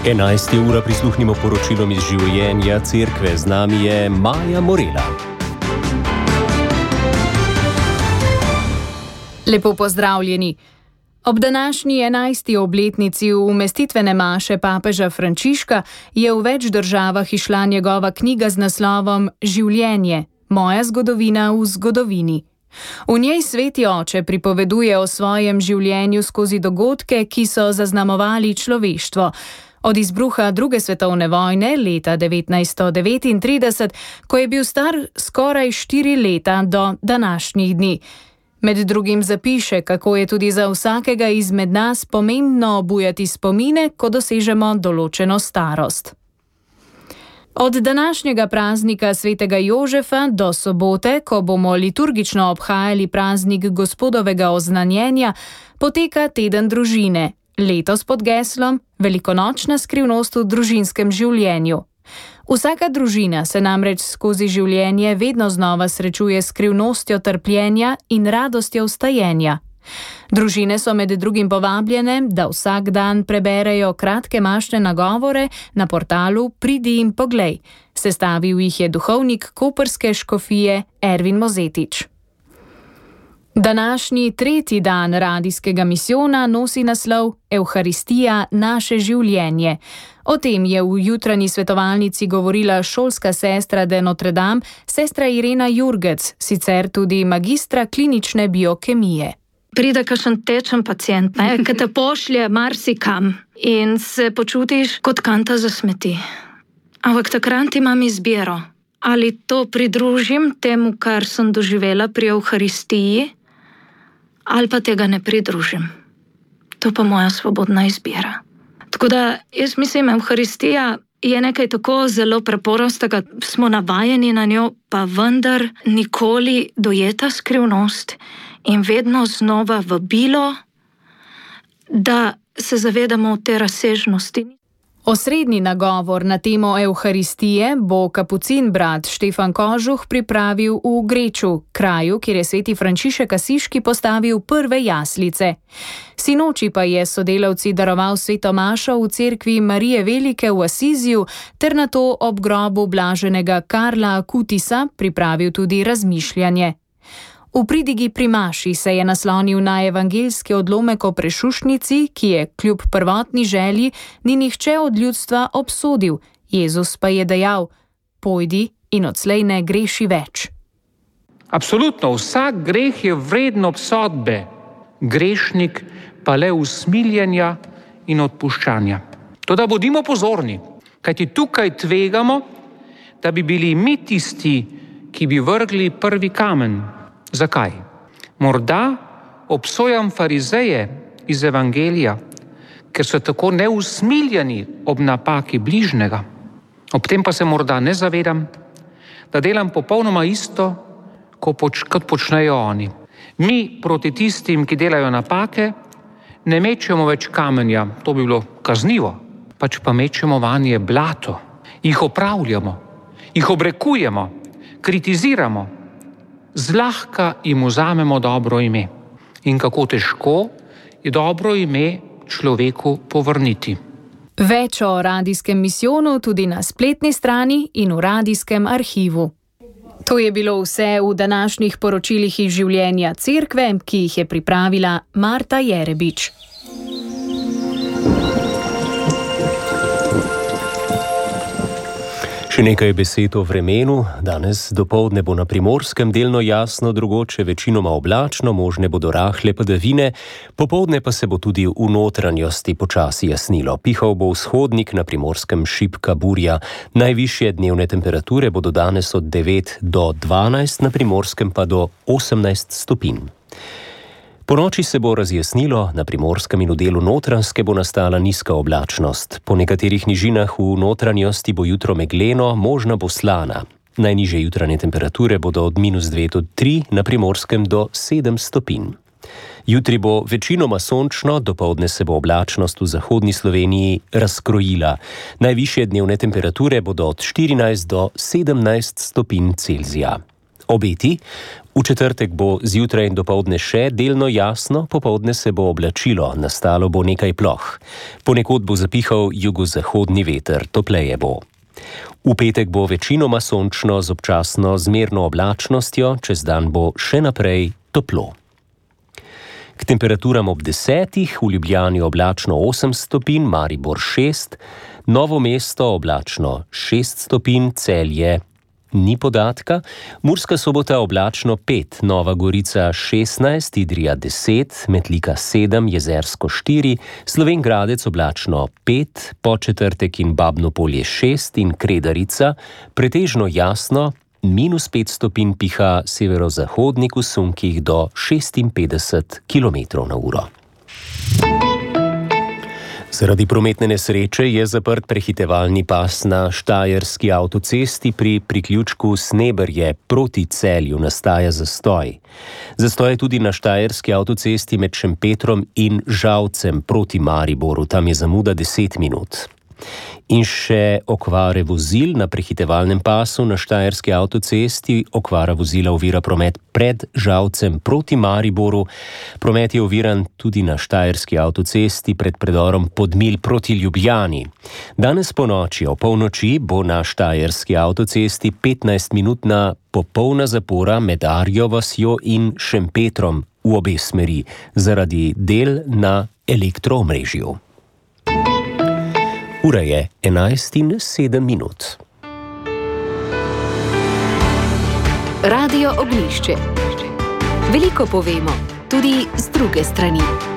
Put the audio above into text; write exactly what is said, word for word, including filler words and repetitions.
enajsta ura prisluhnimo poročilom iz življenja cerkve. Z nami je Maja Morela. Lepo pozdravljeni. Ob današnji enajsti obletnici umestitvene maše papeža Frančiška je v več državah izšla njegova knjiga z naslovom Življenje, moja zgodovina v zgodovini. V njej sveti oče pripoveduje o svojem življenju skozi dogodke, ki so zaznamovali človeštvo. Od izbruha druge svetovne vojne leta devetnajststo devetintrideset, ko je bil star skoraj štiri leta, do današnjih dni. Med drugim zapiše, kako je tudi za vsakega izmed nas pomembno obujati spomine, ko dosežemo določeno starost. Od današnjega praznika svetega Jožefa do sobote, ko bomo liturgično obhajali praznik Gospodovega oznanjenja, poteka teden družine, letos pod geslom Velikonočna skrivnost v družinskem življenju. Vsaka družina se namreč skozi življenje vedno znova srečuje s skrivnostjo trpljenja in radostjo vstajenja. Družine so med drugim povabljene, da vsak dan preberejo kratke mašne nagovore na portalu Pridi in poglej. Sestavil jih je duhovnik koprske škofije Ervin Mozetič. Današnji tretji dan radijskega misijona nosi naslov Evharistija naše življenje. O tem je v jutranji svetovalnici govorila šolska sestra de Notre Dame, sestra Irena Jurgec, sicer tudi magistra klinične biokemije. Pride kakšen tečen pacient, ne, ki te pošlje marsikam in se počutiš kot kanta za smeti. Ampak takrat imam izbiro, ali to pridružim temu, kar sem doživela pri Evharistiji, ali pa tega ne pridružim. To pa moja svobodna izbira. Tako da jaz mislim, Evharistija je nekaj tako zelo preprostega, smo navajeni na njo, pa vendar nikoli dojeta skrivnost in vedno znova vabilo, da se zavedamo te razsežnosti. Osrednji nagovor na temo Evharistije bo kapucin brat Štefan Kožuh pripravil v Greču, kraju, kjer je sveti Frančišek Asiški postavil prve jaslice. Sinoči pa je sodelavci daroval sveto mašo v cerkvi Marije Velike v Asiziju ter nato ob grobu blaženega Karla Akutisa pripravil tudi razmišljanje. V pridigi pri maši se je naslonil na evangeljski odlomek o prešušnici, ki je kljub prvotni želji ni nihče od ljudstva obsodil. Jezus pa je dejal: pojdi in odslej ne greši več. Absolutno, vsak greh je vreden obsodbe, grešnik pa le usmiljenja in odpuščanja. Toda bodimo pozorni, kajti tukaj tvegamo, da bi bili mi tisti, ki bi vrgli prvi kamen. Zakaj? Morda obsojam farizeje iz evangelija, ker so tako neusmiljeni ob napaki bližnjega. Ob tem pa se morda ne zavedam, da delam popolnoma isto, kot počnejo oni. Mi proti tistim, ki delajo napake, ne mečemo več kamenja, to bi bilo kaznivo, pač pa mečemo vanje blato, jih opravljamo, jih obrekujemo, kritiziramo, zlahka jim vzamemo dobro ime. In kako težko je dobro ime človeku povrniti. Več o radijskem misijonu tudi na spletni strani in v radijskem arhivu. To je bilo vse v današnjih poročilih iz življenja cerkve, ki jih je pripravila Marta Jerebič. Še nekaj besed o vremenu. Danes dopoldne bo na Primorskem delno jasno, drugoče večinoma oblačno, možne bodo rahle padavine, popoldne pa se bo tudi v notranjosti počasi jasnilo. Pihal bo vzhodnik, na Primorskem šibka burja. Najvišje dnevne temperature bodo danes od devet do dvanajst, na Primorskem pa do osemnajst stopinj. Po noči se bo razjasnilo, na Primorskem in v delu Notranjske bo nastala nizka oblačnost. Po nekaterih nižinah v notranjosti bo jutro megleno, možna bo slana. Najnižje jutranje temperature bodo od minus dve do tri, na Primorskem do sedem stopinj. Jutri bo večinoma sončno, dopoldne se bo oblačnost v zahodni Sloveniji razkrojila. Najvišje dnevne temperature bodo od štirinajst do sedemnajst stopinj Celzija. Obeti. V četrtek bo zjutraj in dopoldne še delno jasno, popoldne se bo oblačilo, nastalo bo nekaj ploh. Ponekod bo zapihal jugozahodni veter, topleje bo. V petek bo večinoma sončno z občasno zmerno oblačnostjo, čez dan bo še naprej toplo. K temperaturam ob desetih, v Ljubljani oblačno osem stopinj, Maribor šest, Novo mesto oblačno šest stopinj, Celje ni podatka, Murska Sobota oblačno pet, Nova Gorica šestnajst, Idrija deset, Metlika sedem, Jezersko štiri, Slovenj Gradec oblačno pet, Podčetrtek in Babno Polje šest in Kredarica pretežno jasno, minus pet stopinj, piha severozahodnik v sunkih do šestinpetdeset kilometrov na uro. Zaradi prometne nesreče je zaprt prehitevalni pas na štajerski avtocesti pri priključku Sneberje proti Celju, nastaja zastoj. Zastoj je tudi na štajerski avtocesti med Šempetrom in Žalcem proti Mariboru, tam je zamuda deset minut. In še okvare vozil na prehitevalnem pasu na štajerski avtocesti. Okvara vozila ovira promet pred Žalcem proti Mariboru. Promet je oviran tudi na štajerski avtocesti pred predorom Podmilj proti Ljubljani. Danes ponoči o polnoči bo na štajerski avtocesti petnajstminutna popolna zapora med Arjo vasjo in Šempetrom v obe smeri zaradi del na elektroomrežju. Ura je enajst in sedem minut. Radio Oglišče. Veliko povemo, tudi z druge strani.